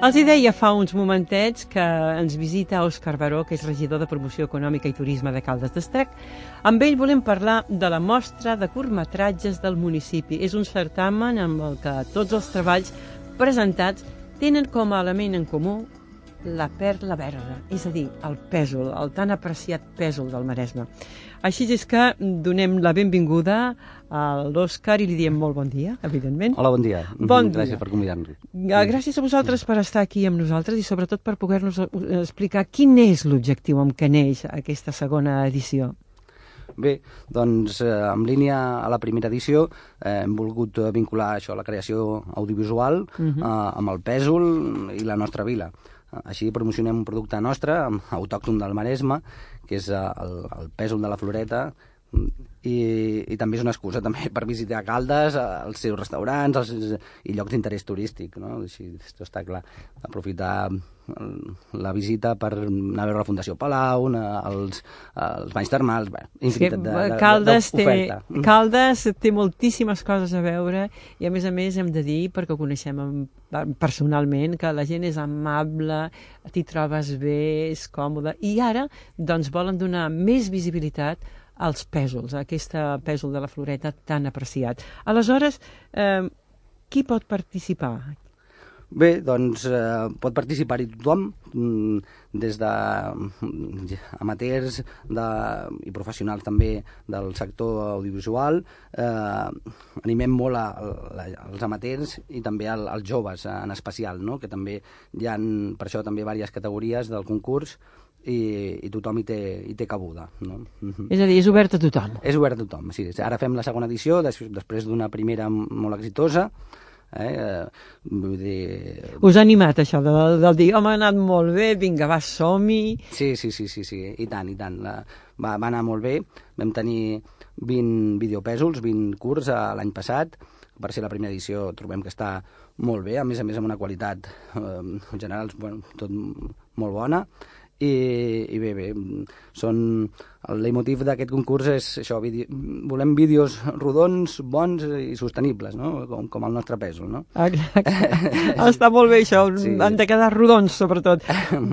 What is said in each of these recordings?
Els hi deia fa uns momentets que ens visita Òscar Baró, que és regidor de Promoció Econòmica i Turisme de Caldes d'Estrac. Amb ell volem parlar de la mostra de curtmetratges del municipi. És un certamen amb el que tots els treballs presentats tenen com a element en comú la perla verda, és a dir, el pèsol, el tan apreciat pèsol del Maresme. Així és que donem la benvinguda a l'Òscar i li diem molt bon dia, evidentment. Hola, bon dia. Bon dia. Gràcies per convidar-nos. Gràcies a vosaltres per estar aquí amb nosaltres i sobretot per poder-nos explicar quin és l'objectiu amb què neix aquesta segona edició. Bé, doncs en línia a la primera edició hem volgut vincular això, la creació audiovisual amb el pèsol i la nostra vila. Així promocionem un producte nostre, autòcton del Maresme, que és el pèsol de la Floreta, i també és una excusa també per visitar Caldes, els seus restaurants i llocs d'interès turístic, no? Així, està clar, aprofitar la visita per anar a veure la Fundació Palau, els banys termals, infinitat d'oferta. Caldes té moltíssimes coses a veure i a més hem de dir, perquè ho coneixem personalment, que la gent és amable, t'hi trobes bé, és còmode, i ara doncs volen donar més visibilitat als pèsols, a aquesta pèsol de la Floreta tan apreciat. Aleshores, qui pot participar? Bé, doncs pot participar-hi tothom, des d'amateurs i professionals també del sector audiovisual. Animem molt als amateurs i també als joves en especial, no? Que també hi ha per això també diverses categories del concurs i tothom hi té cabuda, no? És a dir, és obert a tothom. És obert a tothom, sí. Ara fem la segona edició, després d'una primera molt exitosa. Vull dir... Us ha animat això del dir, home, ha anat molt bé, vinga, va, som-hi... Sí, i tant. Va anar molt bé, vam tenir 20 videopèsols, 20 curts l'any passat. Per ser la primera edició trobem que està molt bé, a més amb una qualitat en general tot molt bona. I bé, el leitmotiv d'aquest concurs és això, volem vídeos rodons, bons i sostenibles, no? Com el nostre pèsol, no? Exacte. Està molt bé això, sí. Han de quedar rodons sobretot.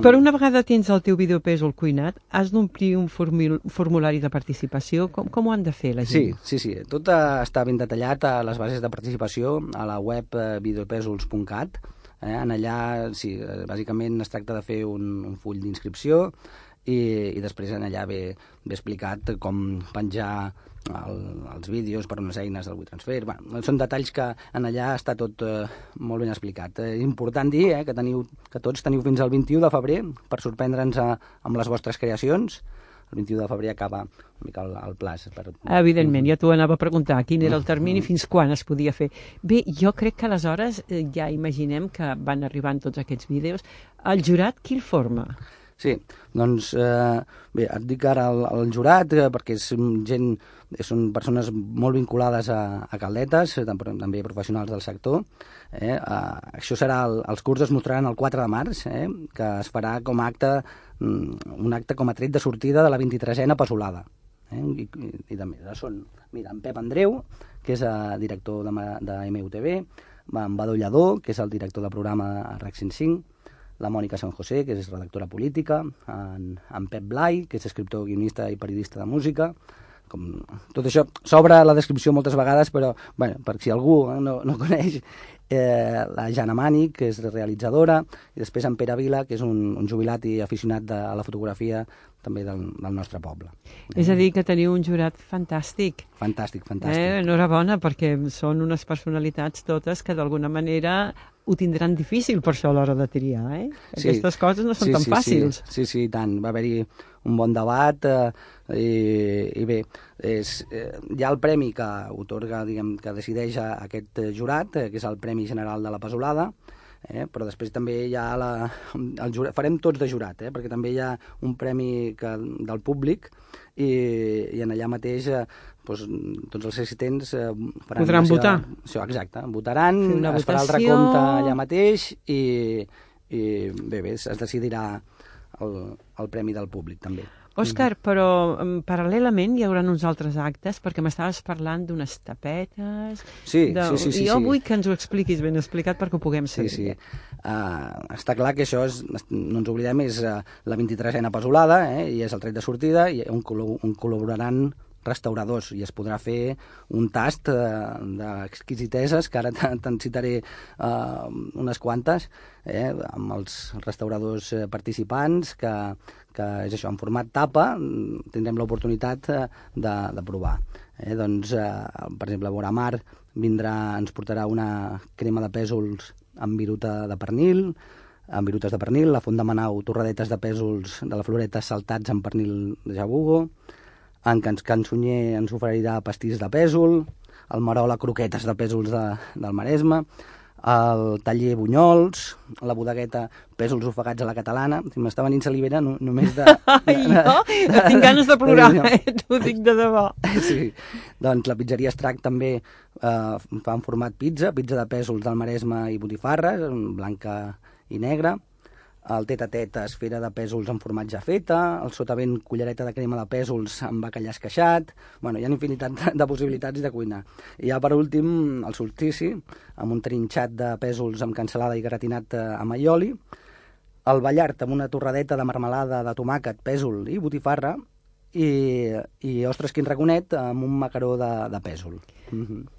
Però una vegada tens el teu videopèsol cuinat, has d'omplir un formulari de participació. Com ho han de fer la gent? Sí. Tot està ben detallat a les bases de participació a la web videopèsols.cat. En allà, sí, bàsicament es tracta de fer un full d'inscripció i després en allà ve explicat com penjar els vídeos per unes eines del WeTransfer. Són detalls que en allà està tot molt ben explicat. És important dir que tots teniu fins al 21 de febrer per sorprendre'ns amb les vostres creacions. El 21 de febrer acaba una mica el plaç. Evidentment, ja t'ho anava a preguntar, quin era el termini, fins quan es podia fer. Bé, jo crec que aleshores ja imaginem que van arribant tots aquests vídeos. El jurat, qui el forma? Sí, doncs bé, et dic ara el jurat perquè són persones molt vinculades a Caldetes, també professionals del sector. Això els curts es mostraran el 4 de març, que es farà com a un acte com a tret de sortida de la 23a Pèsolada. I també són, mira, en Pep Andreu, que és director de MUTV, en Badó Lladó, que és el director de programa a RAC 105, la Mònica San José, que és redactora política, en Pep Blai, que és escriptor, guionista i periodista de música. Tot això s'obre la descripció moltes vegades, però per si algú no coneix, la Jana Mani, que és realitzadora, i després en Pere Vila, que és un jubilat i aficionat a la fotografia també del nostre poble. És a dir, que teniu un jurat fantàstic. Fantàstic. Enhorabona, perquè són unes personalitats totes que d'alguna manera ho tindran difícil per això a l'hora de triar, Aquestes coses no són tan fàcils. Sí, i tant. Va haver-hi un bon debat i bé, hi ha el premi que otorga, que decideix aquest jurat, que és el Premi General de la Pèsolada, però després també hi ha el jurat, farem tots de jurat, perquè també hi ha un premi del públic i en allà mateix tots els assistents podran votar. Exacte, votaran, es farà el recompte allà mateix i bé, es decidirà el premi del públic també. Òscar, però paral·lelament hi haurà uns altres actes, perquè m'estaves parlant d'unes tapetes... Sí. Jo vull que ens ho expliquis ben explicat perquè ho puguem saber. Sí. Està clar que això, no ens oblidem, és la 23a Pesolada, i és el tret de sortida, i on col·laboraran restauradors, i es podrà fer un tast d'exquisiteses, que ara te'n citaré unes quantes, amb els restauradors participants, que és això, en format tapa, tindrem l'oportunitat de provar. Doncs, per exemple, Boramar ens portarà una crema de pèsols amb viruta de pernil, amb virutes de pernil, la Font de Manau, torradetes de pèsols de la Floreta saltats amb pernil de jabugo, en Can Sunyer ens oferirà pastís de pèsol, el Marola croquetes de pèsols del Maresme, el taller Bunyols, la bodegueta pèsols ofegats a la catalana. M'està venint salivera només de... Jo tinc ganes de plorar, t'ho dic de debò. Sí, doncs la pizzeria Estrac també fa en format pizza de pèsols del Maresme i botifarres, blanca i negra. El tet-a-tet esfera de pèsols amb formatge feta, el sotavent cullereta de crema de pèsols amb bacallà esqueixat... Bueno, hi ha infinitat de possibilitats de cuinar. I ja per últim, el solstici, amb un trinxat de pèsols amb cansalada i gratinat amb aioli, el ballart amb una torradeta de marmelada de tomàquet, pèsol i botifarra, i ostres, quin raconet amb un macaró de pèsol.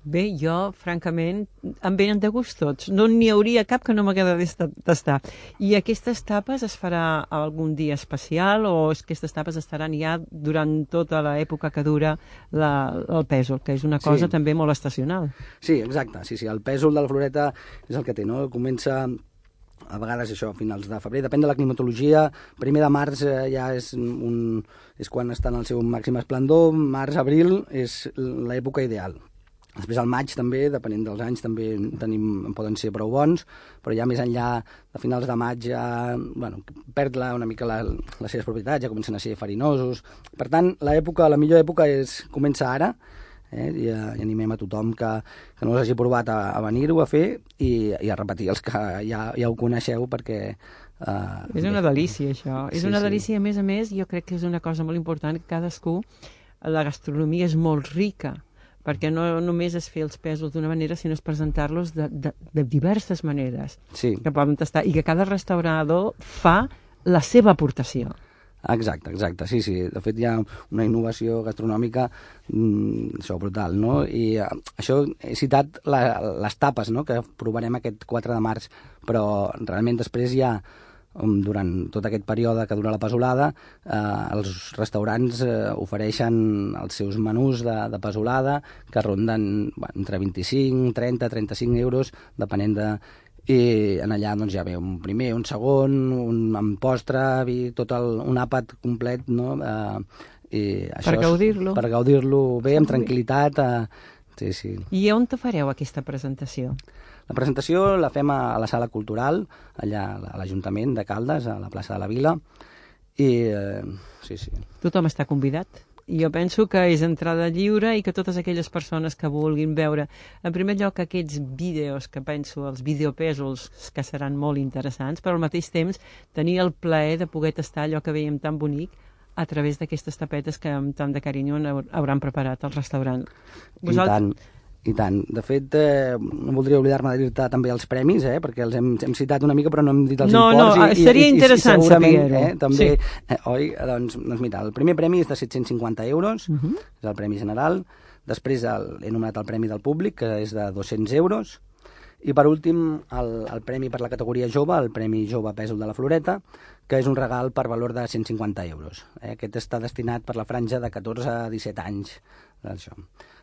Bé, jo, francament, em venen de gust tots. No n'hi hauria cap que no m'agradaria tastar. I aquestes tapes es farà algun dia especial o aquestes tapes estaran ja durant tota l'època que dura el pèsol, que és una cosa també molt estacional? Sí, exacte. Sí, el pèsol de la Floreta és el que té, no? Comença a vegades això, a finals de febrer, depèn de la climatologia. Primer de març ja és quan està en el seu màxim esplendor, març-abril és l'època ideal. Després al maig també, depenent dels anys, també poden ser prou bons, però ja més enllà de finals de maig ja perd una mica les seves propietats, ja comencen a ser farinosos. Per tant, la millor època comença ara, i animem a tothom que no l'hagi provat a venir-ho a fer i a repetir els que ja ho coneixeu, perquè... És una delícia, això. És una delícia, a més, jo crec que és una cosa molt important, que cadascú, la gastronomia és molt rica, perquè no només és fer els pèsols d'una manera, sinó és presentar-los de diverses maneres que poden tastar, i que cada restaurador fa la seva aportació. Exacte, sí. De fet, hi ha una innovació gastronòmica brutal, no? I això he citat les tapes, no?, que provarem aquest 4 de març, però realment després hi ha, durant tot aquest període que dura la pesolada, els restaurants ofereixen els seus menús de pesolada, que ronden entre 25, 30, 35 euros, depenent de... I en allà doncs, ja ve un primer, un segon, amb postre, tot un àpat complet, no? Per gaudir-lo. Per gaudir-lo bé, amb tranquil·litat. Sí. I on te fareu aquesta presentació? La presentació la fem a la Sala Cultural, allà a l'Ajuntament de Caldes, a la plaça de la Vila. I sí. Tothom està convidat? Jo penso que és entrada lliure i que totes aquelles persones que vulguin veure, en primer lloc, aquests vídeos, que penso, els videopèsols, que seran molt interessants, però al mateix temps tenir el plaer de poder tastar allò que veiem tan bonic a través d'aquestes tapetes que amb tant de carinyo hauran preparat al restaurant. I tant. De fet, no voldria oblidar-me de dir-te també els premis, perquè els hem citat una mica, però no hem dit els imports. No, seria interessant saber-ho. També, oi? Doncs mira, el primer premi és de 750 euros, és el premi general. Després he nomenat el premi del públic, que és de 200 euros. I per últim, el premi per la categoria jove, el Premi Jove Pèsol de la Floreta, que és un regal per valor de 150 euros. Aquest està destinat per la franja de 14 a 17 anys. Això.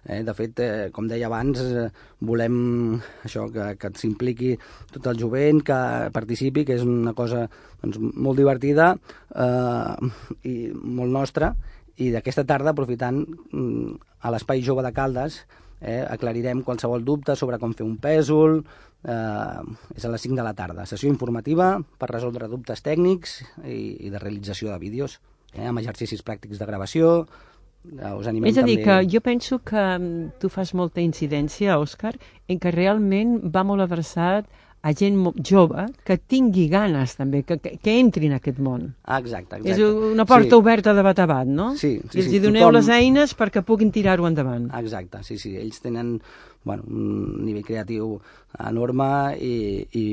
De fet, com deia abans, volem això, que s'impliqui tot el jovent, que participi, que és una cosa molt divertida i molt nostra. I d'aquesta tarda, aprofitant a l'Espai Jove de Caldes, aclarirem qualsevol dubte sobre com fer un pèsol. És a les 5 de la tarda. Sessió informativa per resoldre dubtes tècnics i de realització de vídeos, amb exercicis pràctics de gravació. Us animem és a dir, també... que jo penso que tu fas molta incidència, Òscar, en que realment va molt adreçat a gent jove que tingui ganes també, que entri en aquest món. Exacte. És una porta oberta de bat a bat, no? Sí. I els doneu les eines perquè puguin tirar-ho endavant. Exacte, sí. Ells tenen un nivell creatiu enorme i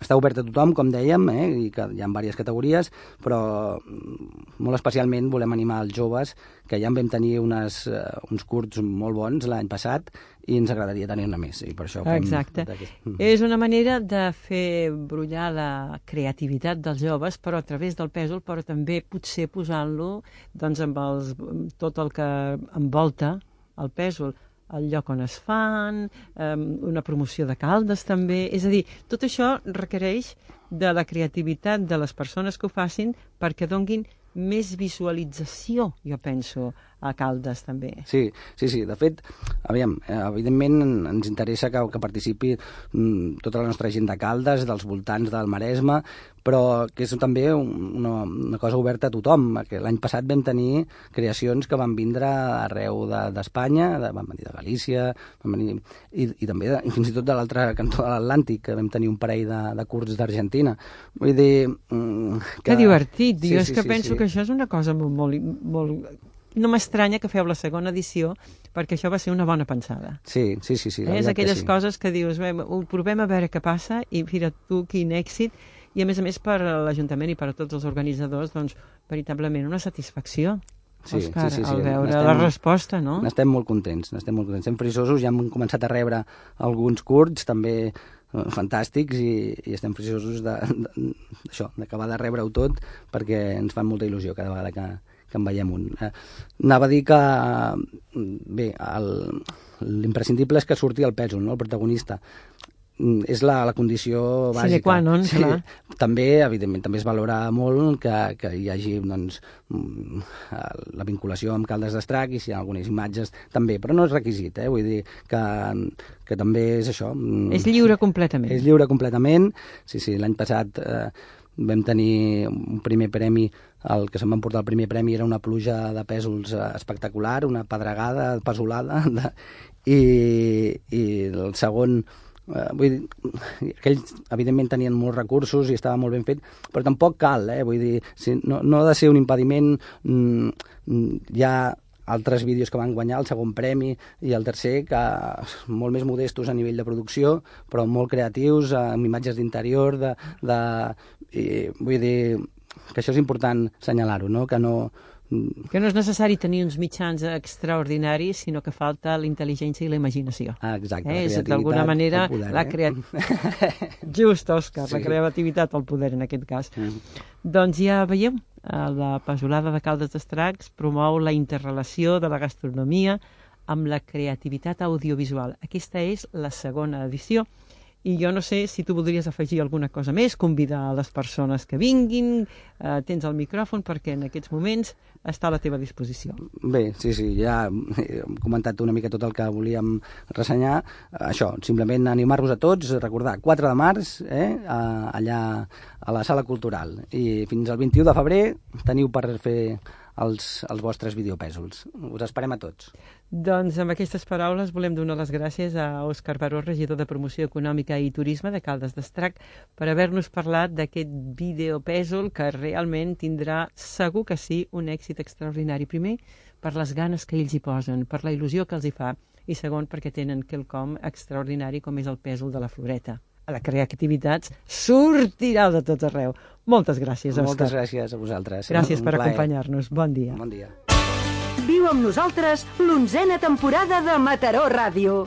està obert a tothom, com dèiem, i que hi ha diverses categories, però molt especialment volem animar els joves, que ja en vam tenir uns curts molt bons l'any passat i ens agradaria tenir-ne més. I per això exacte. És una manera de fer brollar la creativitat dels joves, però a través del pèsol, però també potser posant-lo amb tot el que envolta el pèsol, el lloc on es fan, una promoció de Caldes també. És a dir, tot això requereix de la creativitat de les persones que ho facin perquè donguin més visualització, jo penso, a Caldes també. Sí. De fet, evidentment ens interessa que participi tota la nostra gent de Caldes, dels voltants del Maresme, però que és també una cosa oberta a tothom. L'any passat vam tenir creacions que van vindre arreu d'Espanya, van venir de Galícia, van venir, i també fins i tot de l'altre cantó de l'Atlàntic, que vam tenir un parell de curts d'Argentina. Vull dir... Que divertit! Jo és que penso que això és una cosa molt... No m'estranya que feu la segona edició, perquè això va ser una bona pensada. Sí. És aquelles coses que dius, ho provem a veure què passa, i mira tu quin èxit, i a més per l'Ajuntament i per a tots els organitzadors, doncs, veritablement una satisfacció. Òscar, al veure la resposta, no? N'estem molt contents, estem frisosos, ja hem començat a rebre alguns curts, també fantàstics, i estem frisosos d'acabar de rebre-ho tot, perquè ens fa molta il·lusió cada vegada que en veiem un. Anava a dir que, bé, l'imprescindible és que surti el pèsol, no? El protagonista. És la condició bàsica. Sine qua non, clar. També, evidentment, també es valora molt que hi hagi la vinculació amb Caldes d'Estrac, i si hi ha algunes imatges també, però no és requisit, vull dir que també és això. És lliure completament. És lliure completament, sí, l'any passat vam tenir un primer premi, el que se'n va emportar el primer premi era una pluja de pèsols espectacular, una pedregada pesolada, i el segon... vull dir, aquells evidentment tenien molts recursos i estava molt ben fet, però tampoc cal, vull dir, no ha de ser un impediment. Hi ha altres vídeos que van guanyar el segon premi i el tercer, que molt més modestos a nivell de producció, però molt creatius, amb imatges d'interior, vull dir que això és important assenyalar-ho, no? Que no és necessari tenir uns mitjans extraordinaris, sinó que falta la intel·ligència i la imaginació. Exacte, la creativitat, d'alguna manera, el poder. Just, Òscar, la creativitat, el poder, en aquest cas. Doncs ja veieu, la Pesolada de Caldes d'Estrac promou la interrelació de la gastronomia amb la creativitat audiovisual. Aquesta és la segona edició. I jo no sé si tu voldries afegir alguna cosa més, convidar a les persones que vinguin, tens el micròfon perquè en aquests moments està a la teva disposició. Bé, sí, ja hem comentat una mica tot el que volíem ressenyar. Això, simplement animar-vos a tots, recordar, 4 de març, allà a la Sala Cultural. I fins al 21 de febrer teniu per fer els vostres videopèsols. Us esperem a tots. Doncs amb aquestes paraules volem donar les gràcies a Òscar Baró, regidor de Promoció Econòmica i Turisme de Caldes d'Estrac, per haver-nos parlat d'aquest videopèsol que realment tindrà, segur que sí, un èxit extraordinari. Primer, per les ganes que ells hi posen, per la il·lusió que els hi fa, i segon, perquè tenen quelcom extraordinari com és el pèsol de la Floreta. La creativitat sortirà de tot arreu. Moltes gràcies, Òscar. Moltes gràcies a vosaltres. Gràcies per acompanyar-nos. Bon dia. Bon dia. Viu amb nosaltres l'11a temporada de Mataró Ràdio.